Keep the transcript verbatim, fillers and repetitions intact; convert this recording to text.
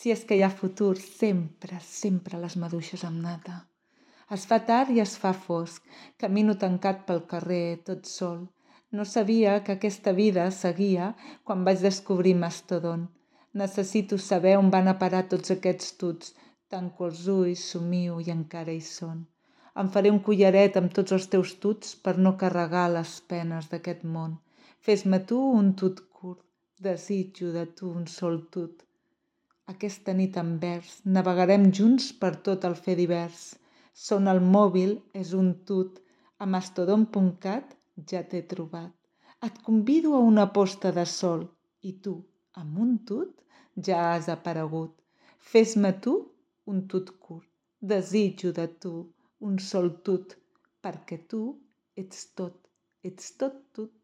Si és que hi ha futur, sempre, sempre les maduixes amb nata. Es fa tard i es fa fosc, camino tancat pel carrer, tot sol. No sabia que aquesta vida seguia quan vaig descobrir Mastodon. Necessito saber on van a parar tots aquests tuts. Tanco els ulls, somio i encara hi són. Em faré un collaret amb tots els teus tuts per no carregar les penes d'aquest món. Fes-me tu un tut curt, desitjo de tu un sol tut. Aquesta nit en vers navegarem junts per tot el fer divers. Sona el mòbil, és un tut. A mastodon punt cat ja t'he trobat. Et convido a una posta de sol i tu, amb un tut, ja has aparegut. Fes-me tu un tut curt. Desitjo de tu un sol tut, perquè tu ets tot, ets tot tut.